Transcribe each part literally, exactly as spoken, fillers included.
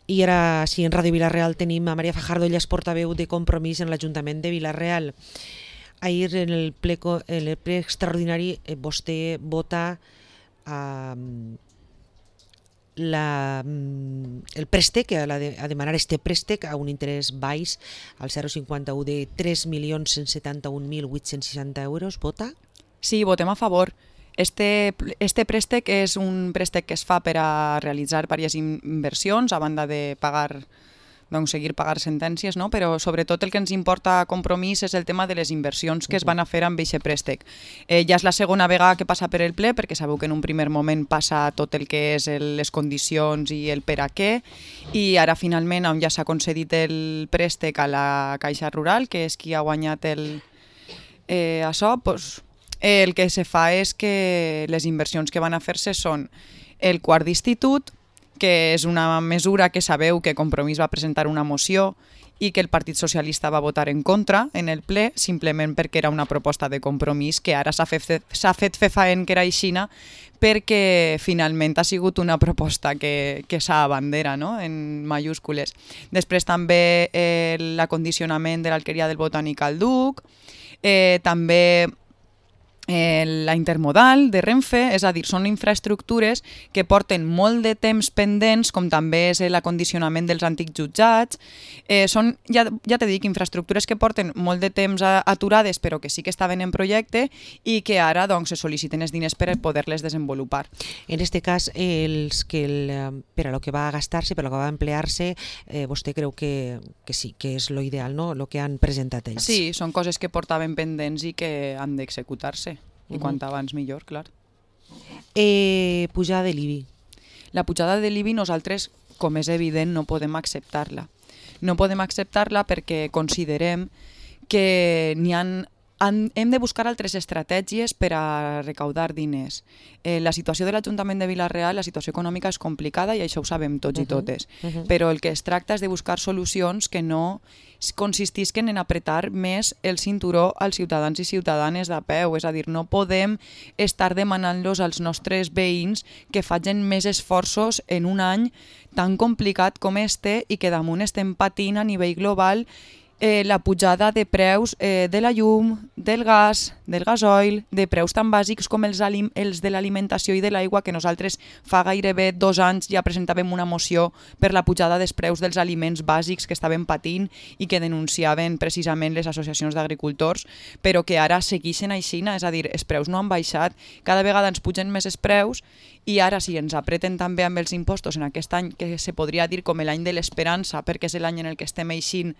I ara, sí, en Ràdio Vila-real tenim a Maria Fajardo, ella és portaveu de Compromís en l'Ajuntament de Vila-real. Ahir en el ple, en el ple extraordinari eh, vostè vota eh, la, el préstec, a, la de, a demanar este préstec a un interès baix, al zero coma cinquanta-u de tres milions cent setanta-un mil vuit-cents seixanta euros. Vota? Sí, votem a favor. Este, este préstec és un préstec que es fa per a realitzar diverses inversions a banda de pagar, doncs, seguir pagar sentències, no? Però sobretot el que ens importa a Compromís és el tema de les inversions que es van a fer amb aquest préstec. Eh, ja és la segona vegada que passa per el ple, perquè sabeu que en un primer moment passa tot el que és el, les condicions i el per a què, i ara finalment on ja s'ha concedit el préstec a la Caixa Rural, que és qui ha guanyat el, eh, això, doncs, el que se fa és que les inversions que van a fer-se són el quart d'institut, que és una mesura que sabeu que Compromís va presentar una moció i que el Partit Socialista va votar en contra en el ple, simplement perquè era una proposta de Compromís que ara s'ha fet, s'ha fet fefaent que era aixina, perquè finalment ha sigut una proposta que, que s'abandera, no? En mayúscules. Després també eh, l'acondicionament de l'alqueria del Botànic al Duc, eh, també Eh, la intermodal de Renfe, és a dir, són infraestructures que porten molt de temps pendents, com també és l'acondicionament dels antics jutjats. Eh, són, ja, ja t'he dit, infraestructures que porten molt de temps aturades, però que sí que estaven en projecte i que ara doncs, se sol·liciten els diners per poder-les desenvolupar. En aquest cas, els que el, per a lo que va gastar-se, per a lo que va emplear-se, eh, vostè creu que, que sí, que és lo ideal, no? Lo que han presentat ells. Sí, són coses que portaven pendents i que han d'executar-se. I uh-huh. Quant abans millor, clar. Eh, pujada de l'I B I. La pujada de l'I B I nosaltres, com és evident, no podem acceptar-la. No podem acceptar-la perquè considerem que n'hi han Han, hem de buscar altres estratègies per a recaudar diners. Eh, la situació de l'Ajuntament de Vila-real, la situació econòmica és complicada i això ho sabem tots uh -huh. i totes. Uh -huh. Però el que es tracta és de buscar solucions que no consistisquen en apretar més el cinturó als ciutadans i ciutadanes de peu. És a dir, no podem estar demanant-los als nostres veïns que facin més esforços en un any tan complicat com este i que damunt estem patint a nivell global Eh, la pujada de preus eh, de la llum, del gas, del gasoil, de preus tan bàsics com els, els de l'alimentació i de l'aigua, que nosaltres fa gairebé dos anys ja presentàvem una moció per la pujada dels preus dels aliments bàsics que estaven patint i que denunciaven precisament les associacions d'agricultors, però que ara segueixen aixina, és a dir, els preus no han baixat, cada vegada ens pugen més els preus i ara si ens apreten també amb els impostos en aquest any que se podria dir com l'any de l'esperança, perquè és l'any en el que estem eixint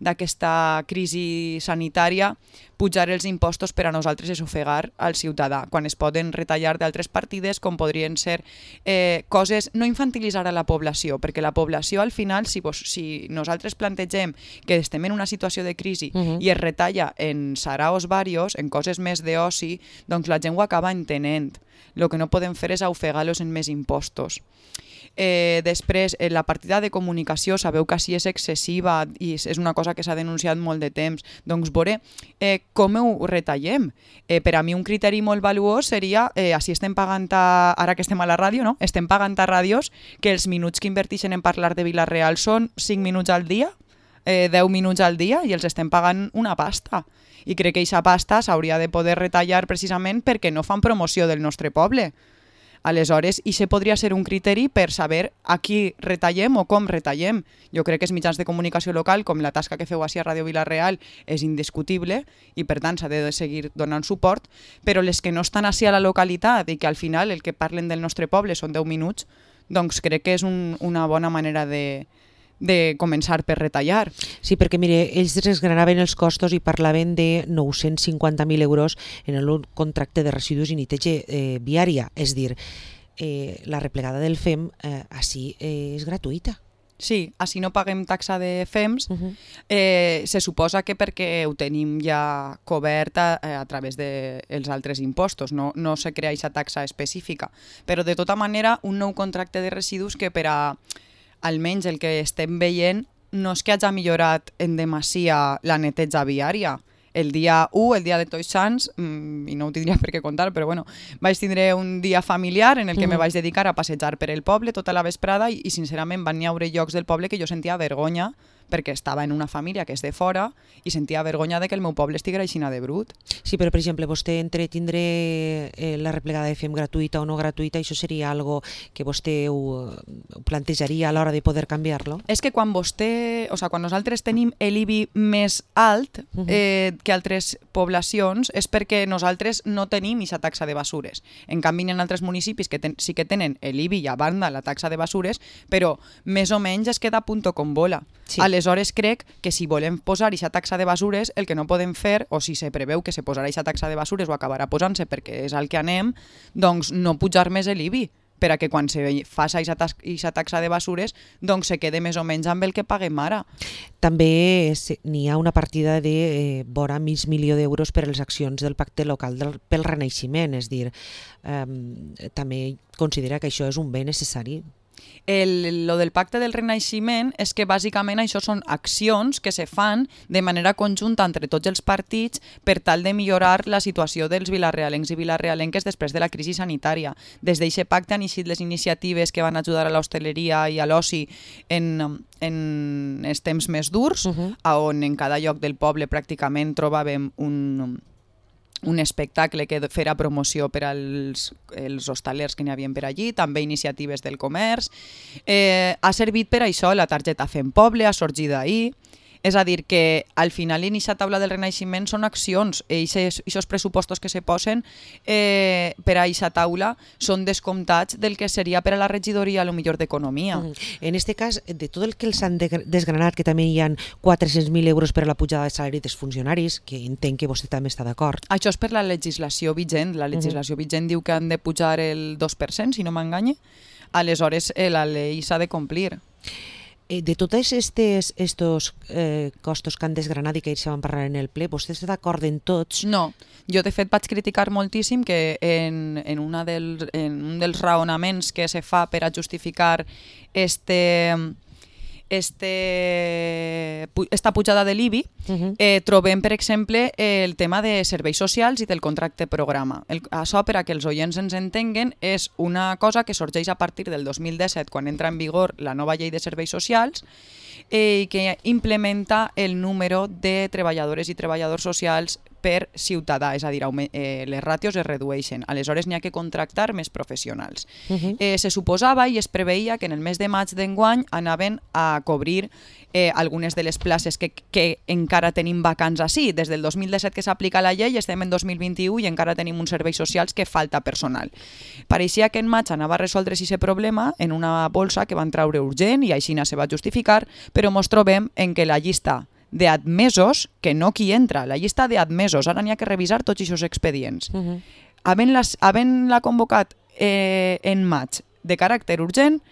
d'aquesta crisi sanitària, pujar els impostos per a nosaltres és ofegar al ciutadà, quan es poden retallar d'altres partides com podrien ser eh, coses, no infantilitzar a la població, perquè la població al final, si, vos, si nosaltres plantegem que estem en una situació de crisi uh-huh. i es retalla en saraos varios, en coses més d'oci, doncs la gent ho acaba entenent. El que no podem fer és ofegar-los en més impostos. Eh, després, eh, la partida de comunicació, sabeu que així és excessiva i és una cosa que s'ha denunciat molt de temps. Doncs veure eh, com ho retallem. Eh, per a mi un criteri molt valuós seria, eh, així estem pagant, a, ara que estem a la ràdio, no? Estem pagant a ràdios que els minuts que inverteixen en parlar de Vila-real són cinc minuts al dia, eh, deu minuts al dia i els estem pagant una pasta. I crec que aquesta pasta s'hauria de poder retallar precisament perquè no fan promoció del nostre poble. Aleshores, i se podria ser un criteri per saber a qui retallem o com retallem. Jo crec que els mitjans de comunicació local, com la tasca que feu així a Ràdio Vila-real, és indiscutible i per tant s'ha de seguir donant suport, però les que no estan així a la localitat i que al final el que parlen del nostre poble són deu minuts, doncs crec que és un, una bona manera de, de començar per retallar. Sí, perquè mire, ells desgranaven els costos i parlaven de nou-cents cinquanta mil euros en el contracte de residus i neteja eh, viària. És dir, eh, la replegada del F E M eh, així eh, és gratuïta. Sí, així no paguem taxa de F E Ms. Uh-huh. eh, se suposa que perquè ho tenim ja cobert a, a través dels altres impostos, no, no se crea aquesta taxa específica. Però de tota manera, un nou contracte de residus que per a almenys el que estem veient no és que hagi millorat en demasia la neteja viària, el dia u, el dia de Tots Sants, mmm, i no ho tindria per què contar, però bueno, vaig tindre un dia familiar en el que mm. me vaig dedicar a passejar per el poble tota la vesprada i, i sincerament van haver llocs del poble que jo sentia vergonya perquè estava en una família que és de fora i sentia vergonya de que el meu poble estiguera aixina de brut. Sí, però per exemple, vostè entre tindre eh, la replegada de F E M gratuïta o no gratuïta, això seria algo que vostè ho, ho plantejaria a l'hora de poder canviar-lo? És que quan vostè, o sigui, quan nosaltres tenim l'I B I més alt uh -huh. eh, que altres poblacions és perquè nosaltres no tenim aquesta taxa de basures. En canvi, en altres municipis que ten, sí que tenen l'I B I i a banda la taxa de basures, però més o menys es queda a punto con bola. Sí. Aleshores crec que si volem posar aquesta taxa de basures, el que no podem fer, o si se preveu que se posarà aquesta taxa de basures o acabarà posant-se perquè és al que anem, doncs no pujar més l'I B I, per a que quan se faci aquesta taxa de basures doncs se quede més o menys amb el que paguem ara. També n'hi ha una partida de eh, vora mig milió d'euros per a les accions del pacte local del, pel renaixement, és dir, eh, també considera que això és un bé necessari. El, lo del pacte del renaixement és que bàsicament això són accions que se fan de manera conjunta entre tots els partits per tal de millorar la situació dels vilarealencs i vilarealenques després de la crisi sanitària. Des d'aquest pacte han eixit les iniciatives que van ajudar a l'hostaleria i a l'oci en, en els temps més durs, uh-huh. on en cada lloc del poble pràcticament trobàvem un... un espectacle que fera promoció per als els hostalers que n'hi havia per allí, també iniciatives del comerç. Eh, ha servit per això la targeta Fem Poble, ha sorgit d'ahir. És a dir, que al final en aquesta taula del renaixement són accions, i aquests pressupostos que se posen eh, per a aquesta taula són descomptats del que seria per a la regidoria a lo millor d'economia. Mm. En aquest cas, de tot el que els han desgranat, que també hi ha quatre-cents mil euros per a la pujada de salari dels funcionaris, que entenc que vostè també està d'acord. Això és per la legislació vigent. La legislació uh-huh. vigent diu que han de pujar el dos per cent, si no m'enganye. Aleshores, eh, la llei s'ha de complir. De tots estos, estos eh, costos que han desgranat i que ells van parlar en el ple, vostè està d'acord en tots? No, jo de fet vaig criticar moltíssim que en, en, una del, en un dels raonaments que se fa per a justificar este... Este, esta pujada de l'I B I, uh-huh. eh, trobem, per exemple, el tema de serveis socials i del contracte programa. El, això, per a que els oients ens entenguen, és una cosa que sorgeix a partir del dos mil disset, quan entra en vigor la nova llei de serveis socials, eh, que implementa el número de treballadores i treballadors socials per ciutadà, és a dir, eh, les ràtios es redueixen. Aleshores n'hi ha que contractar més professionals. Uh-huh. eh, se suposava i es preveia que en el mes de maig d'enguany anaven a cobrir eh, algunes de les places que, que encara tenim vacants així. Des del dos mil disset que s'aplica la llei estem en dos mil vint-i-u i encara tenim uns serveis socials que falta personal. Pareixia que en maig anava a resoldre's aquest problema en una bolsa que van traure urgent i així se va justificar, però ens trobem en què la llista d'admesos, que no qui entra, la llista d'admesos, ara n'hi ha que revisar tots aquests expedients. Uh-huh. Havent-la convocat eh, en maig de caràcter urgent,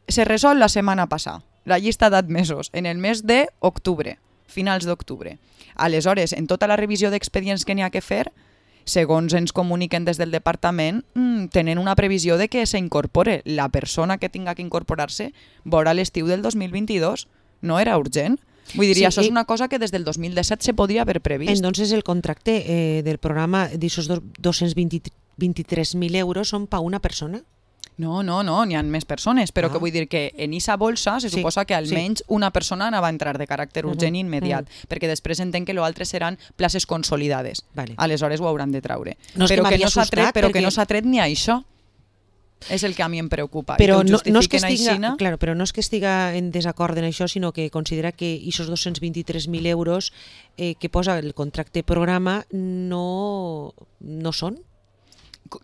se resol la setmana passada, la llista d'admesos, en el mes d'octubre, finals d'octubre. Aleshores, en tota la revisió d'expedients que n'hi ha que fer, segons ens comuniquen des del departament, mmm, tenen una previsió de que s'incorpore. La persona que tinga que incorporar-se vora l'estiu del dos mil vint-i-dos. No era urgent? Vull dir, sí, això és una cosa que des del dos mil disset se podria haver previst. Entonces el contracte eh, del programa d'aquests dos-cents vint-i-tres mil euros són per una persona? No, no, no, n'hi ha més persones, però ah. que vull dir que en aquesta bolsa se sí, suposa que almenys sí. una persona anava a entrar de caràcter urgent uh-huh. immediat, uh-huh. perquè després entenc que l'altre seran places consolidades. Vale. Aleshores ho hauran de traure. No però que, que no s'ha tret, però perquè... que no s'ha tret ni a això. És el que a mi em preocupa. Però no, no, és que estiga, claro, però no és que estiga en desacord en això, sinó que considera que aquests dos-cents vint-i-tres mil euros eh, que posa el contracte programa no, no són?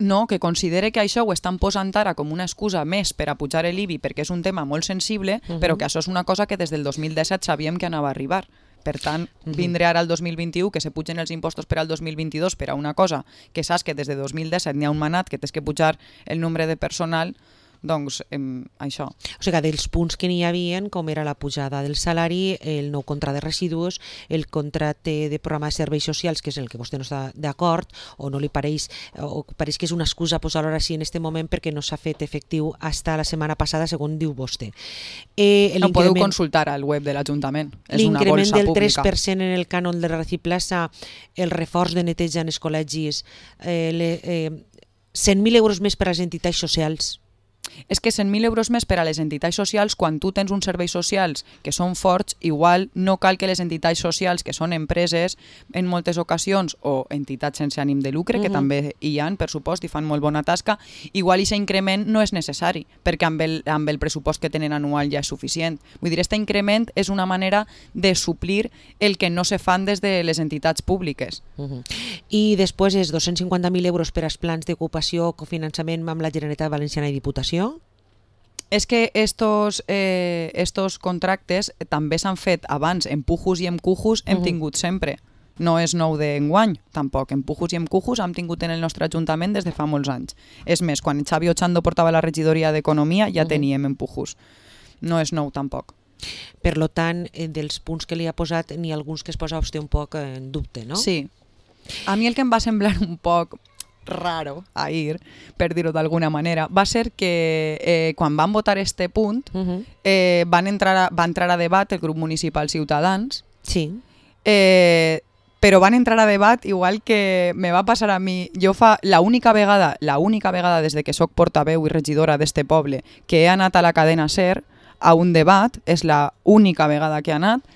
No, que considere que això ho estan posant ara com una excusa més per a pujar l'I B I perquè és un tema molt sensible, uh-huh. però que això és una cosa que des del dos mil disset sabíem que anava a arribar. Per tant, vindré ara al dos mil vint-i-u que se pugen els impostos per al dos mil vint-i-dos per a una cosa que saps que des de dos mil disset n'hi ha un manat que tens que pujar el nombre de personal, Doncs em, això. O sigui, dels punts que n'hi havia, com era la pujada del salari, el nou contracte de residus, el contracte de programa de serveis socials, que és el que vostè no està d'acord, o no li pareix, o pareix que és una excusa posar-lo així en aquest moment perquè no s'ha fet efectiu fins la setmana passada, segons diu vostè. Eh, no podeu consultar al web de l'Ajuntament. És una bolsa pública. L'increment del tres per cent en el cànon de Reciclasa, el reforç de neteja en els col·legis, eh, le, eh, cent mil euros més per a les entitats socials. És que cent mil euros més per a les entitats socials, quan tu tens uns serveis socials que són forts, igual no cal que les entitats socials, que són empreses en moltes ocasions, o entitats sense ànim de lucre, que uh-huh. també hi ha, per supost, i fan molt bona tasca, igual aquest increment no és necessari, perquè amb el, amb el pressupost que tenen anual ja és suficient. Vull dir, aquest increment és una manera de suplir el que no se fan des de les entitats públiques. Uh-huh. I després és dos-cents cinquanta mil euros per als plans d'ocupació, cofinançament amb la Generalitat Valenciana i Diputació. És que estos, eh, estos contractes també s'han fet abans, en pujos i en cujos hem uh-huh. tingut sempre. No és nou d'enguany, tampoc. En pujos i en cujos hem tingut en el nostre Ajuntament des de fa molts anys. És més, quan Xavi Ochando portava la regidoria d'Economia ja uh-huh. teníem en pujos. No és nou tampoc. Per lo tant, dels punts que li ha posat, n'hi ha alguns que es posa vostè un poc en dubte, no? Sí. A mi el que em va semblar un poc raro ahir, per dir-ho d'alguna manera, va ser que eh, quan van votar este punt uh-huh. eh, van entrar a, va entrar a debat el grup municipal Ciutadans, sí. eh, però van entrar a debat igual que me va passar a mi. Jo fa la única vegada, la única vegada des de que soc portaveu i regidora d'este poble que he anat a la cadena SER a un debat, és la única vegada que he anat.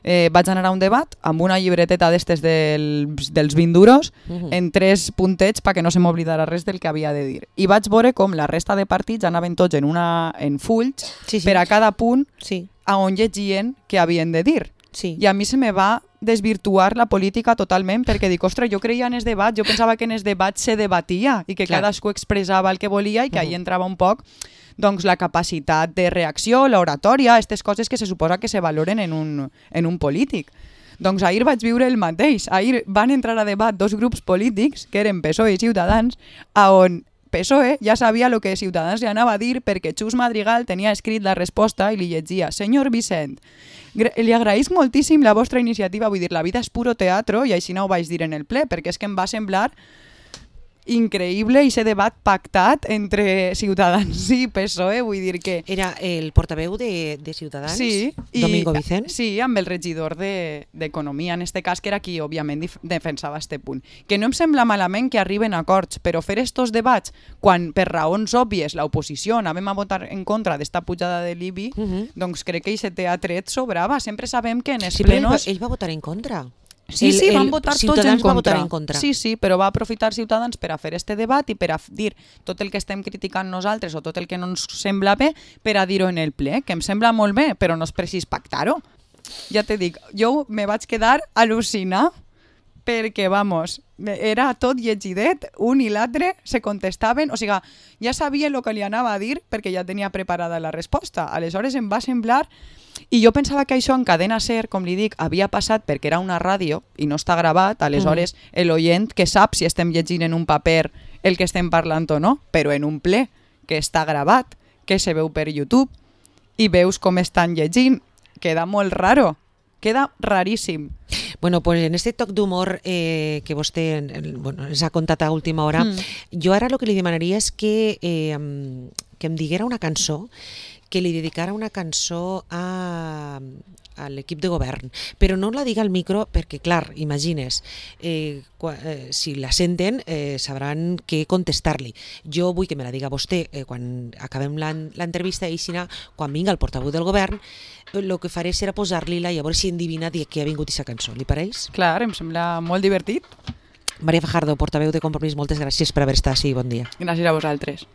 Eh, vaig anar a un debat amb una llibreteta d'estes del, dels vint duros uh-huh. en tres puntets perquè no se m'oblidara res del que havia de dir. I vaig veure com la resta de partits anaven tots en, una, en fulls sí, sí. per a cada punt sí. a on llegien què havien de dir. Sí. I a mi se me va desvirtuar la política totalment perquè dic, ostres, jo creia en els debats, jo pensava que en els debats se debatia i que Clar. cadascú expressava el que volia i que uh-huh. ahí entrava un poc doncs la capacitat de reacció, l'oratòria, aquestes coses que se suposa que se valoren en un, en un polític. Doncs ahir vaig viure el mateix. Ahir van entrar a debat dos grups polítics, que eren P S O E i Ciutadans, a on P S O E ja sabia el que Ciutadans li anava a dir perquè Xus Madrigal tenia escrit la resposta i li llegia: senyor Vicent, li agraïsc moltíssim la vostra iniciativa, vull dir, la vida és puro teatro, i així no ho vaig dir en el ple, perquè és que em va semblar increïble i ese debat pactat entre Ciutadans i P S O E, vull dir que... Era el portaveu de, de Ciutadans, sí, Domingo i, Vicent? Sí, amb el regidor d'Economia, de, en este cas, que era qui òbviament defensava este punt. Que no em sembla malament que arriben a acords, però fer estos debats quan per raons òbvies l'oposició anàvem a votar en contra d'esta pujada de l'I B I, uh-huh. doncs crec que aquest teatret sobrava. Sempre sabem que en els sí, plenos... Ell va votar en contra. Sí, el, sí, van votar tots en contra. Va votar en contra. Sí, sí, però va aprofitar Ciutadans per a fer este debat i per a dir tot el que estem criticant nosaltres o tot el que no ens sembla bé per a dir-ho en el ple, que em sembla molt bé, però no és precís pactar-ho. Ja te dic, jo me vaig quedar al·lucinant perquè, vamos, era tot llegidet, un i l'altre se contestaven, o sigui, ja sabia el que li anava a dir perquè ja tenia preparada la resposta. Aleshores em va semblar... I jo pensava que això en cadena SER, com li dic, havia passat perquè era una ràdio i no està gravat, aleshores mm. l'oient que sap si estem llegint en un paper el que estem parlant o no, però en un ple que està gravat, que se veu per YouTube i veus com estan llegint, queda molt raro, queda raríssim. Bueno, pues en este toc d'humor eh, que vostè bueno, ens ha contat a última hora, mm. jo ara el que li demanaria és que, eh, que em diguera una cançó, que li dedicara una cançó a, a l'equip de govern, però no la diga al micro perquè, clar, imagines, eh, qua, eh, si la senten eh, sabran què contestar-li. Jo vull que me la diga vostè eh, quan acabem l'entrevista i si no, quan vinga el portaveu del govern, el que faré serà posar-li-la i a veure si endivina de què ha vingut aquesta cançó. Li pareix? Clar, em sembla molt divertit. Maria Fajardo, portaveu de Compromís, moltes gràcies per haver estat així. Bon dia. Gràcies a vosaltres.